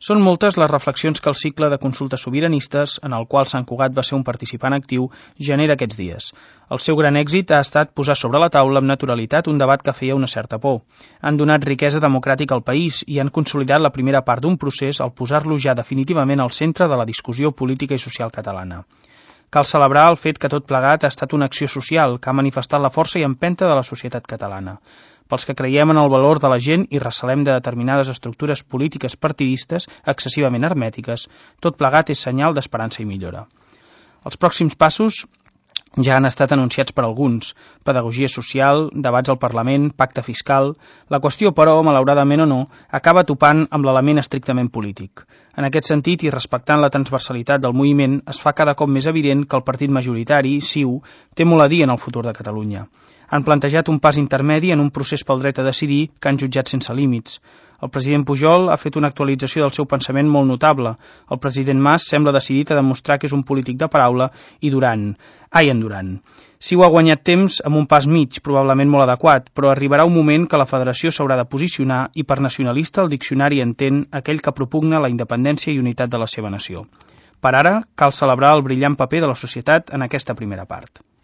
Són moltes les reflexions que el cicle de consultes sobiranistes, en el qual Sant Cugat va ser un participant actiu, genera aquests dies. El seu gran èxit ha estat posar sobre la taula amb naturalitat un debat que feia una certa por. Han donat riquesa democràtica al país i han consolidat la primera part d'un procés al posar-lo ja definitivament al centre de la discussió política i social catalana. Cal celebrar el fet que tot plegat ha estat una acció social que ha manifestat la força i empenta de la societat catalana. Pels que creiem en el valor de la gent i recelem de determinades estructures polítiques partidistes excessivament hermètiques, tot plegat és senyal d'esperança i millora. Els pròxims passos ja han estat anunciats per alguns: pedagogia social, debats al Parlament, pacte fiscal. La qüestió, però, malauradament o no, acaba topant amb l'element estrictament polític. En aquest sentit, i respectant la transversalitat del moviment, es fa cada cop més evident que el partit majoritari, CiU, té molt a dir en el futur de Catalunya. Han plantejat un pas intermedi en un procés pel dret a decidir que han jutjat sense límits. El president Pujol ha fet una actualització del seu pensament molt notable. El president Mas sembla decidit a demostrar que és un polític de paraula i en Duran. CiU ha guanyat temps amb un pas mig, probablement molt adequat, però arribarà un moment que la federació s'haurà de posicionar i per nacionalista el diccionari entén aquell que propugna la independència i unitat de la seva nació. Per ara, cal celebrar el brillant paper de la societat en aquesta primera part.